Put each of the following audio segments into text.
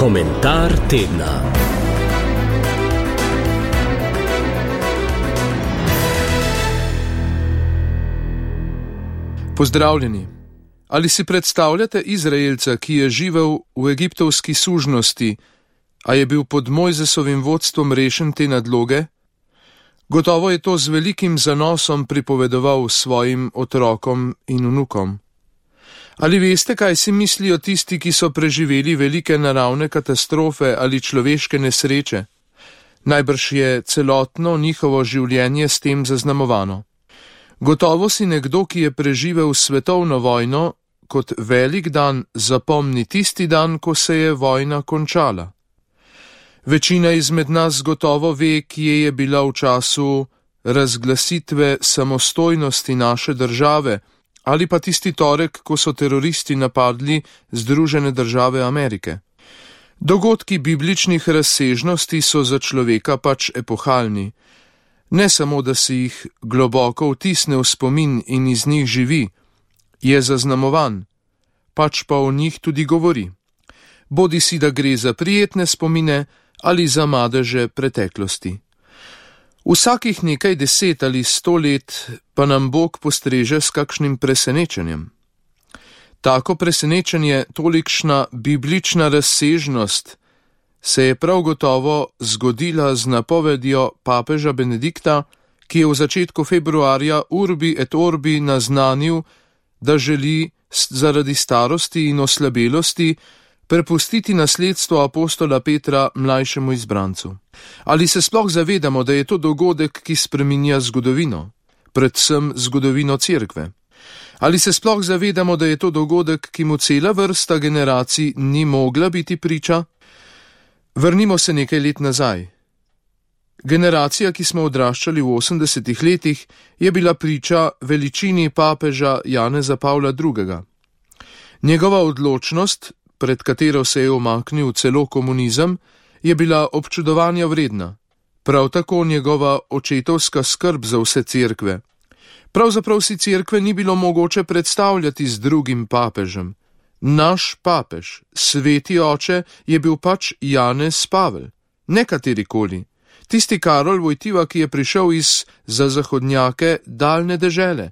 Komentar tedna. Pozdravljeni. Ali si predstavljate Izraelca, ki je živel v egiptovski sužnosti, a je bil pod Mojzesovim vodstvom rešen te nadloge? Gotovo je to z velikim zanosom pripovedoval svojim otrokom in vnukom. Ali veste, kaj si mislijo tisti, ki so preživeli velike naravne katastrofe ali človeške nesreče? Najbrž je celotno njihovo življenje s tem zaznamovano. Gotovo si nekdo, ki je preživel svetovno vojno, kot velik dan zapomni tisti dan, ko se je vojna končala. Večina izmed nas gotovo ve, kje je bila v času razglasitve samostojnosti naše države, ali pa tisti torek, ko so teroristi napadli Združene države Amerike. Dogodki bibličnih razsežnosti so za človeka pač epohalni. Ne samo, da si jih globoko vtisne v spomin in iz njih živi, je zaznamovan, pač pa o njih tudi govori. Bodi si, da gre za prijetne spomine ali za madeže preteklosti. Vsakih nekaj 10 ali 100 let pa nam Bog postreže s kakšnim presenečenjem. Tako presenečenje, tolikšna biblična razsežnost, se je prav gotovo zgodila z napovedjo papeža Benedikta, ki je v začetku februarja Urbi et Orbi naznanil, da želi zaradi starosti in oslabelosti prepustiti nasledstvo apostola Petra mlajšemu izbrancu. Ali se sploh zavedamo, da je to dogodek, ki spreminja zgodovino, predvsem zgodovino cerkve? Ali se sploh zavedamo, da je to dogodek, ki mu cela vrsta generacij ni mogla biti priča? Vrnimo se nekaj let nazaj. Generacija, ki smo odraščali v 80 letih, je bila priča veličini papeža Janeza Pavla II. Njegova odločnost, pred katero se je umaknil celo komunizem, je bila občudovanja vredna. Prav tako njegova očetovska skrb za vse cerkve. Pravzaprav si cerkve ni bilo mogoče predstavljati z drugim papežem. Naš papež, sveti oče, je bil pač Janez Pavel, ne katerikoli. Tisti Karol Vojtiva, ki je prišel iz za zahodnjake daljne dežele,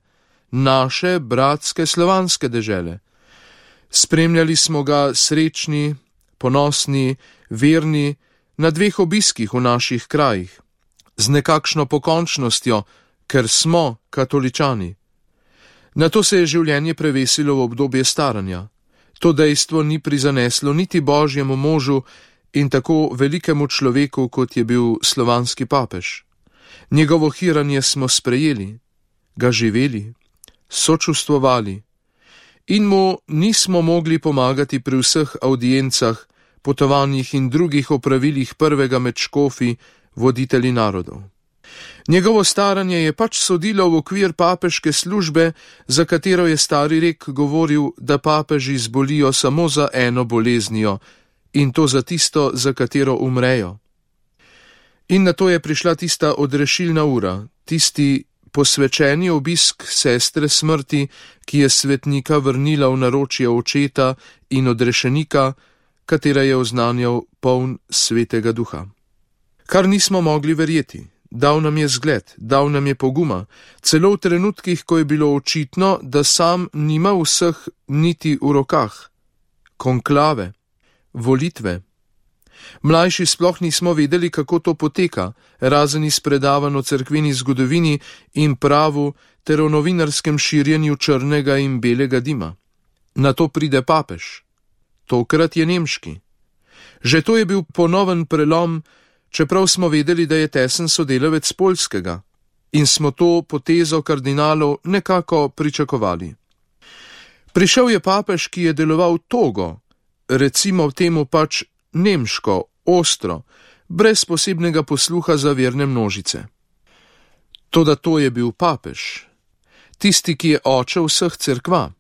naše bratske slovanske dežele. Spremljali smo ga srečni, ponosni, verni na 2 obiskih v naših krajih, z nekakšno pokončnostjo, ker smo katoličani. Nato se je življenje prevesilo v obdobje staranja. To dejstvo ni prizaneslo niti božjemu možu in tako velikemu človeku, kot je bil slovanski papež. Njegovo hiranje smo sprejeli, ga živeli, sočustvovali in mu nismo mogli pomagati pri vseh audiencah, potovanjih in drugih opravilih prvega med škofi, voditelji narodov. Njegovo staranje je pač sodilo v okvir papeške službe, za katero je stari rek govoril, da papeži zbolijo samo za eno boleznijo, in to za tisto, za katero umrejo. In nato je prišla tista odrešilna ura, tisti posvečeni obisk sestre smrti, ki je svetnika vrnila v naročje očeta in odrešenika, katera je oznanjal poln svetega duha. Kar nismo mogli verjeti. Dal nam je zgled, dal nam je poguma, celo v trenutkih, ko je bilo očitno, da sam nima vseh niti v rokah. Konklave, volitve. Mlajši sploh nismo vedeli, kako to poteka, razen iz predavanj o cerkveni zgodovini in pravu ter o novinarskem širjenju črnega in belega dima. Nato pride papež. Tokrat je nemški. Že to je bil ponoven prelom, čeprav smo vedeli, da je tesen sodelavec poljskega, in smo to potezo kardinalov nekako pričakovali. Prišel je papež, ki je deloval togo, recimo temu pač nemško, ostro, brez posebnega posluha za verne množice. Toda to je bil papež, tisti, ki je oče vseh cerkva,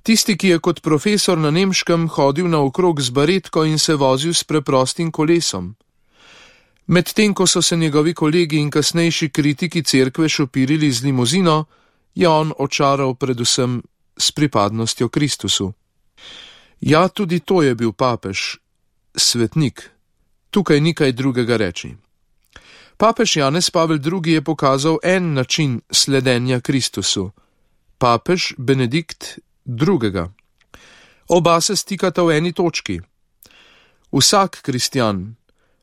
tisti, ki je kot profesor na nemškem hodil naokrog z baretko in se vozil s preprostim kolesom. Medtem ko so se njegovi kolegi in kasnejši kritiki cerkve šopirili z limuzino, je on očaral predvsem s pripadnostjo Kristusu. Ja, tudi to je bil papež, svetnik. Tukaj ni kaj drugega reči. Papež Janez Pavel II. Je pokazal en način sledenja Kristusu. Papež Benedikt II. Oba se stikata v eni točki. Vsak kristjan,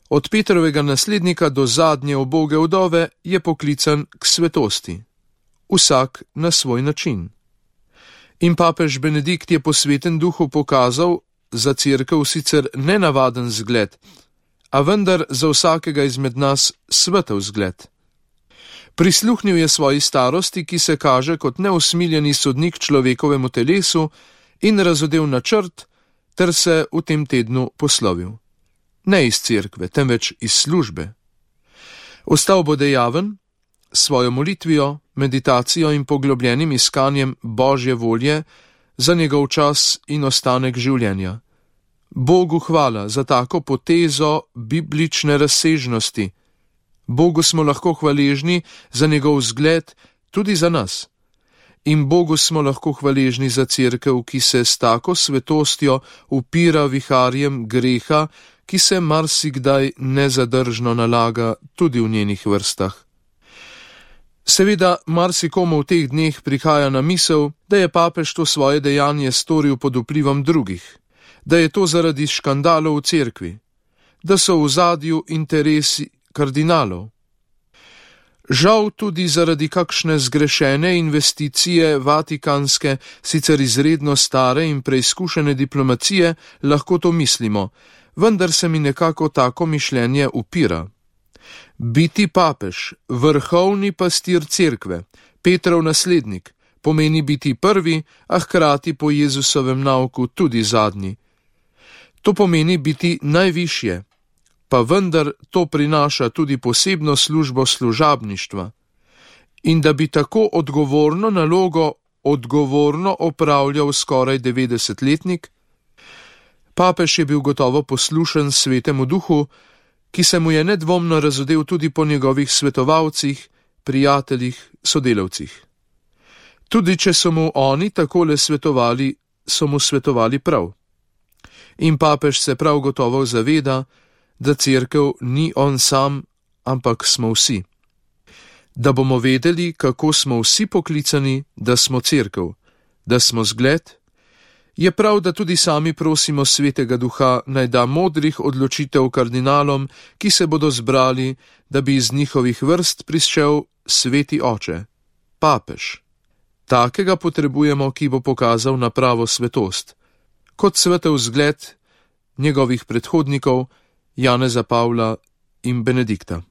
od Petrovega naslednika do zadnje uboge vdove, je poklican k svetosti. Vsak na svoj način. In papež Benedikt je po Svetem duhu pokazal za cerkev sicer nenavaden zgled, a vendar za vsakega izmed nas svetel zgled. Prisluhnil je svoji starosti, ki se kaže kot neusmiljeni sodnik človekovemu telesu, in razodel načrt, ter se v tem tednu poslovil. Ne iz cerkve, temveč iz službe. Ostal bo dejaven, svojo molitvijo, meditacijo in poglobljenim iskanjem Božje volje za njegov čas in ostanek življenja. Bogu hvala za tako potezo biblične razsežnosti. Bogu smo lahko hvaležni za njegov zgled tudi za nas. In Bogu smo lahko hvaležni za cerkev, ki se s tako svetostjo upira viharjem greha, ki se marsikdaj nezadržno nalaga tudi v njenih vrstah. Seveda, marsikomu v teh dneh prihaja na misel, da je papež to svoje dejanje storil pod vplivom drugih, da je to zaradi škandalov v cerkvi, da so v ozadju interesi kardinalov. Žal tudi zaradi kakšne zgrešene investicije vatikanske, sicer izredno stare in preizkušene diplomacije, lahko to mislimo, vendar se mi nekako tako mišljenje upira. Biti papež, vrhovni pastir cerkve, Petrov naslednik, pomeni biti prvi, a hkrati po Jezusovem nauku tudi zadnji. To pomeni biti najvišje, pa vendar to prinaša tudi posebno službo služabništva. In da bi tako odgovorno nalogo odgovorno opravljal skoraj 90-letnik, papež je bil gotovo poslušen Svetemu duhu, ki se mu je nedvomno razodel tudi po njegovih svetovalcih, prijateljih, sodelavcih. Tudi če so mu oni takole svetovali, so mu svetovali prav. In papež se prav gotovo zaveda, da cerkev ni on sam, ampak smo vsi. Da bomo vedeli, kako smo vsi poklicani, da smo cerkev, da smo zgled, je prav, da tudi sami prosimo Svetega Duha, naj da modrih odločitev kardinalom, ki se bodo zbrali, da bi iz njihovih vrst prišel Sveti Oče, papež. Takega potrebujemo, ki bo pokazal na pravo svetost, kot svetel zgled njegovih predhodnikov, Janeza Pavla in Benedikta.